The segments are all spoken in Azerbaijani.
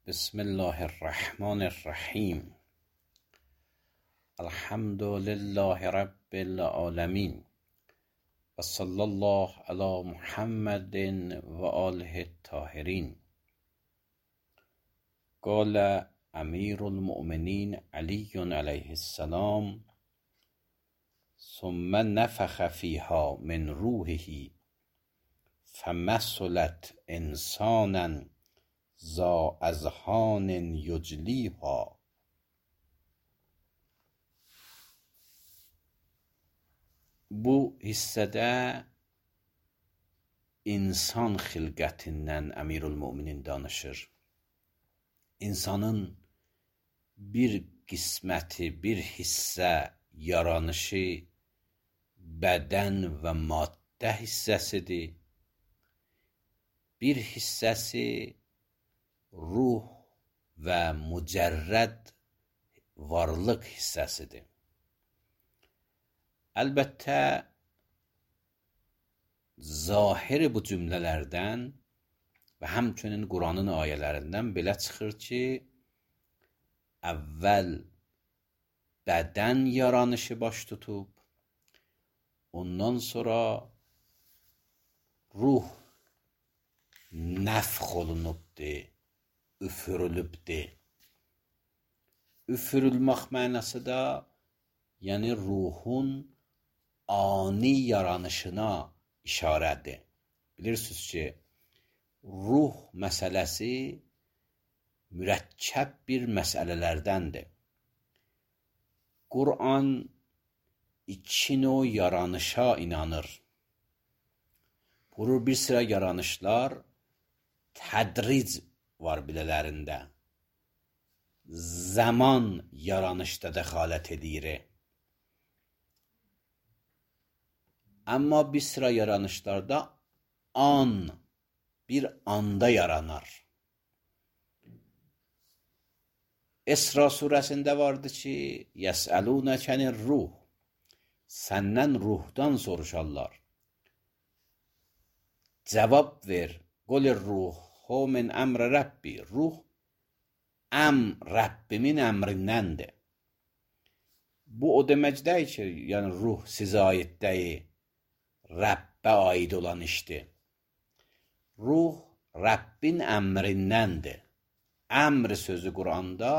بسم الله الرحمن الرحیم. الحمد لله رب العالمین و صلی الله علی محمد و آله الطاهرین. قال امیر المؤمنین علی علیه السلام: ثم نفخ فیها من روحه فمثلت انسانا ذا اذهان یجلیها. Bu hissədə insan xilqətindən Əmirül-Möminin danışır. İnsanın bir qisməti, bir hissə, yaranışı bədən və maddə hissəsidir. Bir hissəsi ruh və mücərrəd varlıq hissəsidir. Əlbəttə, zahir bu cümlələrdən və həmçinin Quranın ayələrindən belə çıxır ki, əvvəl bədən yaranışı baş tutub, ondan sonra ruh nəfx olunubdur, üfürülübdür. Üfürülmək mənası da, yəni ruhun ani yaranışına işarədir. Bilirsiniz ki, ruh məsələsi mürəkkəb bir məsələlərdəndir. Quran iki növ yaranışa inanır. Buyurur, bir sıra yaranışlar tədric var bilələrində. Zaman yaranışda dəxalət edir. Amma bir sıra yaranışlarda bir anda yaranar. Esra surəsində vardı ki, yəsəlunəkənir ruh, səndən ruhdan soruşarlar. Cavab ver, qolir ruhu min əmr Rəbbi, ruh Rəbbimin əmrindəndir. Bu o demək deyil ki, yəni ruh sizə aid deyil, Rəbbə aid olan işdir. Ruh Rəbbin əmrindəndir. Əmr sözü Quranda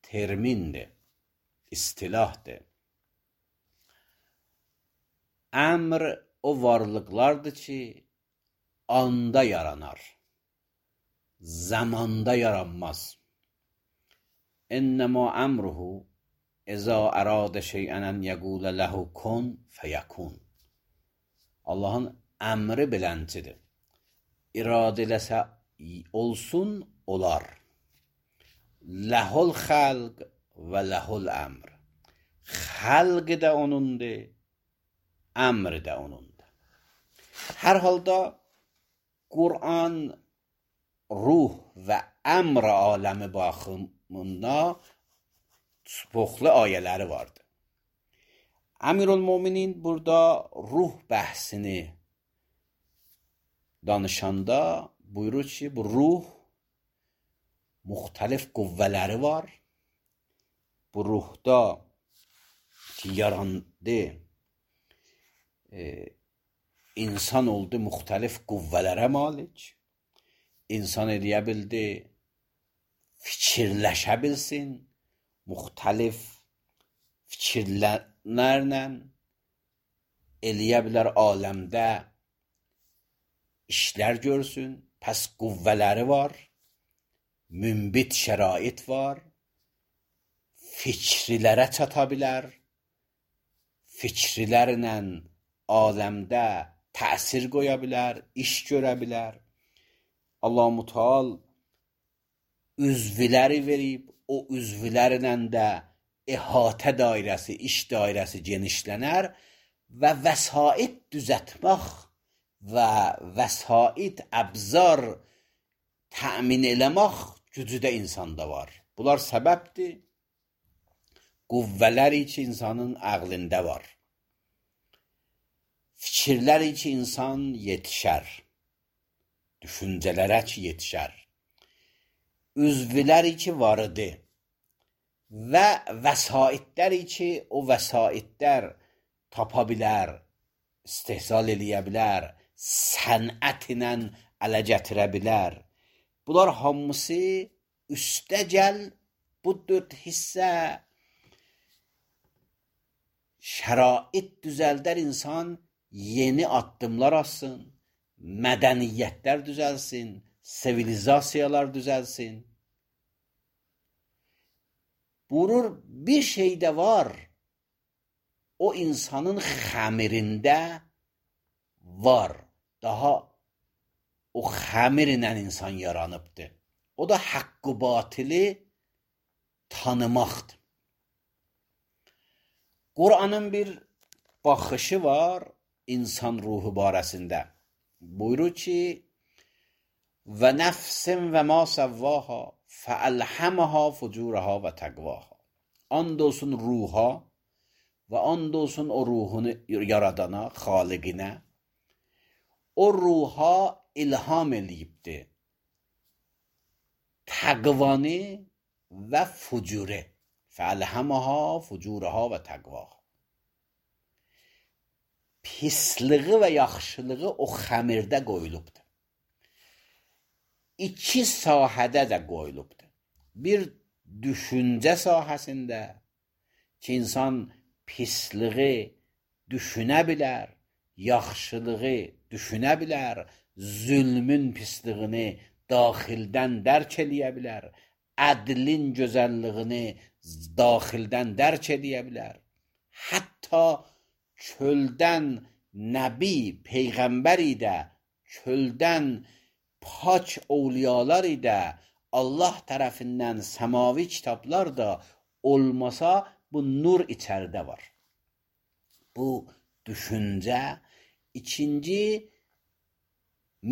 termindir, istilahdır. Əmr o varlıqlardır ki, anda yaranar, zamanda yaranmaz. İnnəmə əmruhu əzə əradə şeyən ən yəqulə ləhu kun fəyəkun. Allahın əmri beləncidir. İradə eləsə olsun, olar. Ləhul xəlq və ləhul əmr. Xəlq də onundur, əmr də onundur. Hər halda Quran ruh və əmr aləmi baxımında çoxlu ayələri vardır. Əmirül-Möminin burada ruh bəhsini danışanda buyurur ki, bu ruh müxtəlif qüvvələri var. Bu ruhda ki, yarandı, insan oldu müxtəlif qüvvələrə malik. İnsan eləyə bildi, fikirləşə bilsin, müxtəlif fikirlərlə eləyə bilər aləmdə işlər görsün. Pəs qüvvələri var, münbit şərait var, fikrilərə çata bilər, fikrilərlə aləmdə təsir qoya bilər, iş görə bilər. Allah-u Teala üzvləri verib, o üzvlərlə də əhatə dairəsi, iş dairəsi genişlənər və vəsait düzətmək və vəsait əbzar təmin eləmək gücü də insanda var. Bunlar səbəbdir. Qüvvələri ki, insanın əqlində var. Fikirləri ki, insan yetişər. Düşüncələrə ki, yetişər. üzvləri ki varıdır və vəsaitləri ki o vəsaitlər tapa bilər, istehsal eləyə bilər, sənət ilə ələ gətirə bilər. Bunlar hamısı üstəgəl bu 4 hissə şərait düzəldər insan yeni addımlar atsın, mədəniyyətlər düzəlsin, sivilizasiyalar düzəlsin. Buyurur, bir şey də var, o insanın xəmirində var. Daha o xəmirlə insan yaranıbdır. O da haqqı batili tanımaqdır. Qur'anın bir baxışı var insan ruhu barəsində. Buyurur ki, və nəfsin və ma səvvaha fəəlhəməha fucuraha və təqvaha. And olsun ruha və and olsun o ruhunu yaradana, xaliqinə. O ruha ilham eləyibdir. Təqvanı və fucure. Fəəlhəməha fucuraha və təqvaha. Pisliği və yaxşılığı o xəmirdə qoyulubdur. 2 sahədə də qoyulubdur. Bir düşüncə sahəsində ki, insan pisliği düşünə bilər, yaxşılığı düşünə bilər, zülmün pisliyini daxildən dərk eləyə bilər, ədlin gözəlliyini daxildən dərk eləyə bilər. Hətta çöldən nəbi, peyğəmbər ilə, çöldən pak ovliyalar ilə Allah tərəfindən səmavi kitablar da olmasa bu nur içəridə var. Bu düşüncə. İkinci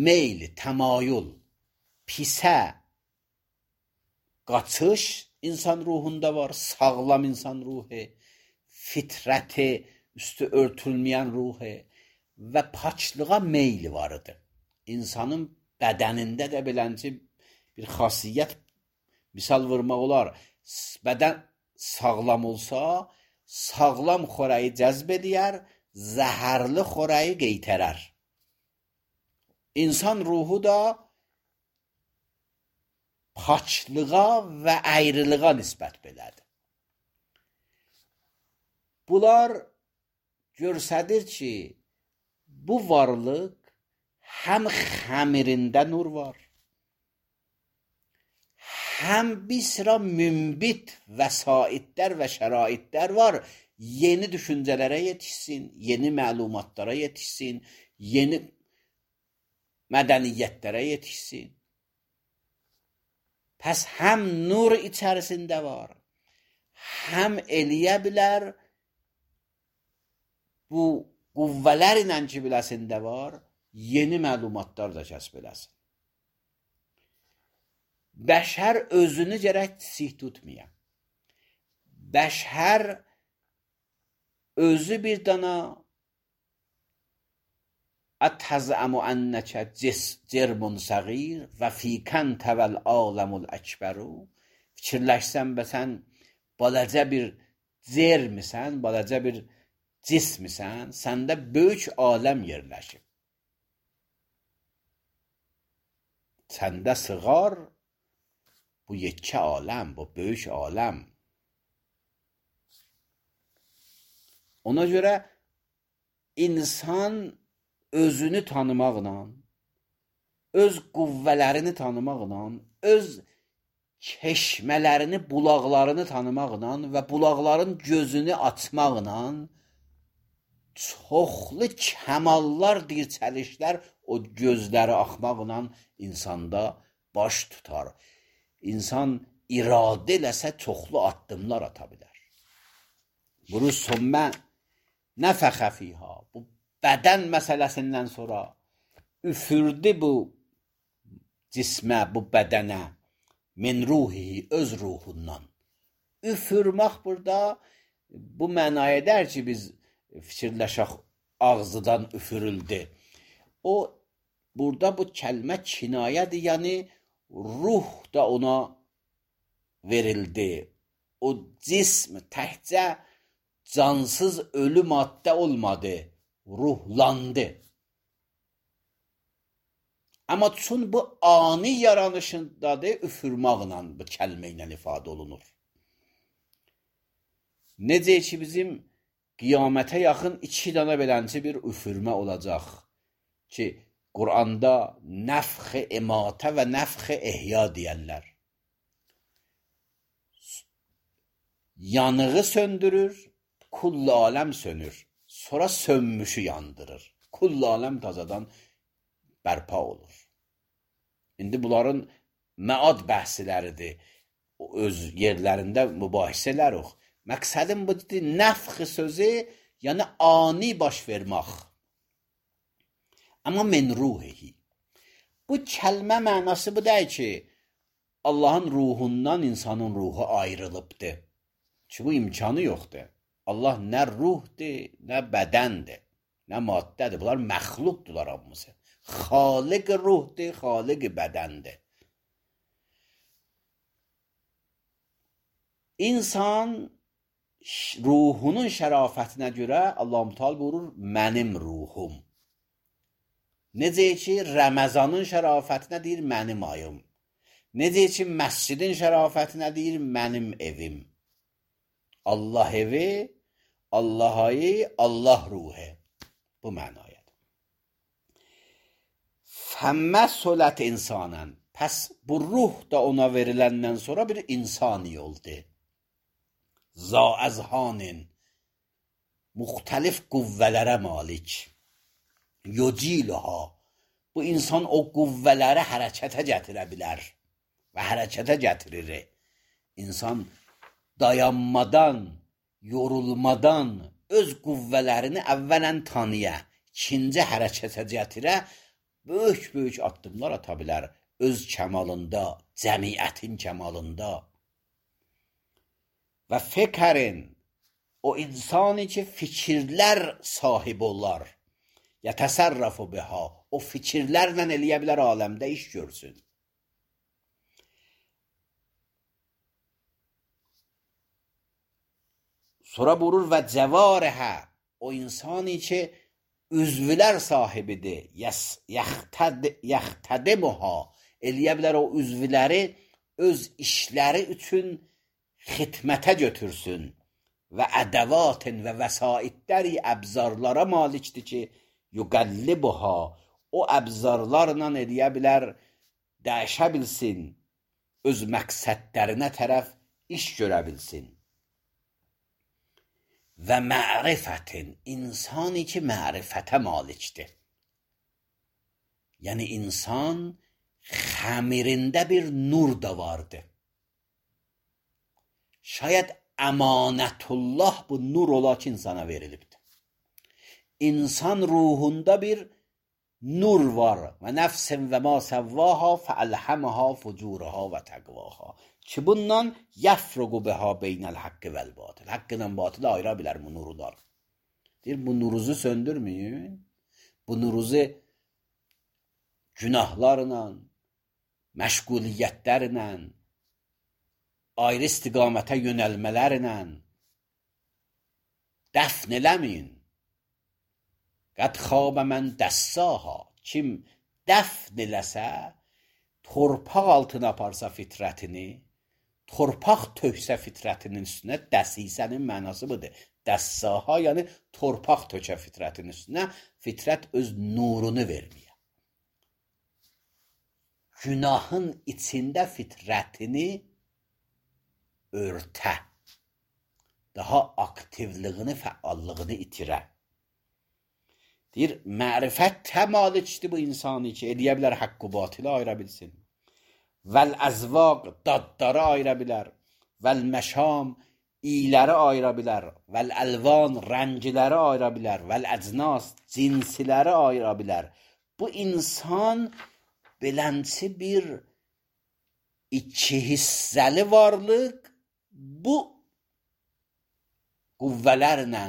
meyl, təmayül, pisə qaçış insan ruhunda var, sağlam insan ruhu, fitrəti üstü örtülməyən ruhu və paçlığa meyli varıdır. İnsanın bədənində də belənci bir xasiyyət misal vurmaq olar. Bədən sağlam olsa, sağlam xörəyi cəzb eləyər, zəhərli xörəyi qeytərər. İnsan ruhu da paçlığa və əyriliğa nisbət belədir. Bunlar görsədir ki, bu varlıq həm xəmirində nur var, həm bir sıra mümbit vəsaitlər və şəraitlər var, yeni düşüncələrə yetişsin, yeni məlumatlara yetişsin, yeni mədəniyyətlərə yetişsin. Pəs həm nur içərisində var, həm eləyə bilər, bu qüvvələr ilə ki biləsində var, yeni məlumatlar da kəsb eləsin. Bəşər özünü gərək sih tutmaya. Bəşər özü bir dana ətəzəmu ənəkə cərmun səğir və fikən təvəl aləmul əkbəru. Fikirləşsən və sən balaca bir cərmisən, balaca bir cismisən, səndə böyük aləm yerləşib. Səndə sığar bu yekə aləm, bu böyük aləm. Ona görə insan özünü tanımaqla, öz qüvvələrini tanımaqla, öz çeşmələrini, bulaqlarını tanımaqla və bulaqların gözünü açmaqla çoxlu kəmallar, dirçəlişlər o gözləri axmaqla insanda baş tutar. İnsan iradə eləsə çoxlu addımlar ata bilər. Bunu sümmə nəfəxə fiyha. Bu bədən məsələsindən sonra üfürdü bu cismə, bu bədənə min ruhi, öz ruhundan. Üfürmək burada bu mənaya edər ki, biz fikirləşək ağzıdan üfürüldü. O, burada bu kəlmə kinayədir, yəni ruh da ona verildi. O cism təkcə cansız ölü maddə olmadı, ruhlandı. Amma çün bu ani yaranışındadır, üfürmaqla bu kəlmə ilə ifadə olunur. Necə ki bizim qiyamətə yaxın 2 dana belənci bir üfürmə olacaq ki, Quranda nəfx-i imatə və nəfx-i ihya deyərlər. Yanığı söndürür, kull aləm sönür. Sonra sönmüşü yandırır. Kull aləm tazadan bərpa olur. İndi bunların məad bəhsləridir. Öz yerlərində mübahisələr yox. Məqsədim budur, nəfx sözü, yəni ani baş vermək. Amma min ruhihi. Bu kəlmə mənası bu deyil ki, Allahın ruhundan insanın ruhu ayrılıbdır. Ki bu imkanı yoxdur. Allah nə ruhdur, nə bədəndir, nə maddədir. Bunlar məxluqdurlar hamısı. Xaliq ruhdur, xaliq bədəndir. İnsan ruhunun şərafətinə görə Allah-u Teala buyurur, mənim ruhum. Necə ki, Rəməzanın şərafətinə deyir, mənim ayım. Necə ki, məscidin şərafətinə deyir, mənim evim. Allah evi, Allah ayı, Allah ruhu. Bu mənayadır. Fəmmə solət insanən. Pəs bu ruh da ona veriləndən sonra bir insani oldu. Zaəzhanin. Müxtəlif qüvvələrə malik. Yuciluha. Bu insan o qüvvələri hərəkətə gətirə bilər. Və hərəkətə gətirir. İnsan dayanmadan, yorulmadan öz qüvvələrini əvvələn tanıya, ikinci hərəkətə gətirə, böyük addımlar ata bilər. Öz kəmalında, cəmiyyətin kəmalında. Və fikrin, o insani ki, fikirlər sahibi olar. Yətəsərrəfu biha. O fikirlərlə eləyə bilər aləmdə iş görsün. Sonra buyurur və cəvarəhə. O insani ki, üzvlər sahibidir. Yaxtədimuha. Eləyə bilər o üzvləri öz işləri üçün xidmətə götürsün. Və ədəvatin və vəsaitləri əbzarlara malikdir ki, yuqəllibuha. O əbzarlarla eləyə bilər, dəyişə bilsin, öz məqsədlərinə tərəf iş görə bilsin. Və mərifətin, insani ki, mərifətə malikdir. Yəni, insan xəmirində bir nur da vardı. Şayət əmanətullah bu nur ola ki, insana verilibdir. İnsan ruhunda bir nur var. Və nəfsin və ma səvvaha fəəlhəməha fucuraha və təqvaha. Ki bundan yəfruqu biha beynəl haqqı vəl batıl. Haqqı ilə batılı ayıra bilər bu nurlar. Deyir, bu nuruzu söndürməyin. Bu nuruzu günahlarla, məşğuliyyətlərlə, ayrı istiqamətə yönəlmələrlə dəfn eləməyin. Qəd xabə mən dəssaha. Kim dəfn eləsə, torpaq altına aparsa fitrətini, torpaq töksə fitrətinin üstünə, dəsisənin mənası budur. Dəssaha, yəni torpaq tökə fitrətin üstünə, fitrət öz nurunu verməyə. Günahın içində fitrətini örtə. Daha aktivlığını, fəallığını itirə. Deyir, mərifət təmalikdir bu insanı ki, eləyə bilər haqqı batılı ayıra bilsin. Vəl-əzvaq, dadları ayıra bilər. Vəl-məşam, iyləri ayıra bilər. Vəl-əlvan, rəngiləri ayıra bilər. Vəl-əcnas, cinsiləri ayıra bilər. Bu insan belənçi bir iki hissəli varlıq bu qüvvələrlə,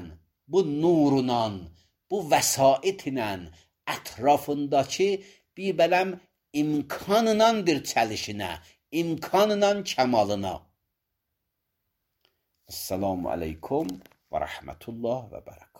bu nurla, bu vəsaitlə ətrafındakı bir bələm imkanla bir çəlişinə, imkanla kəmalına. Esselamu aleyküm ve rahmetullah ve berekatuhu.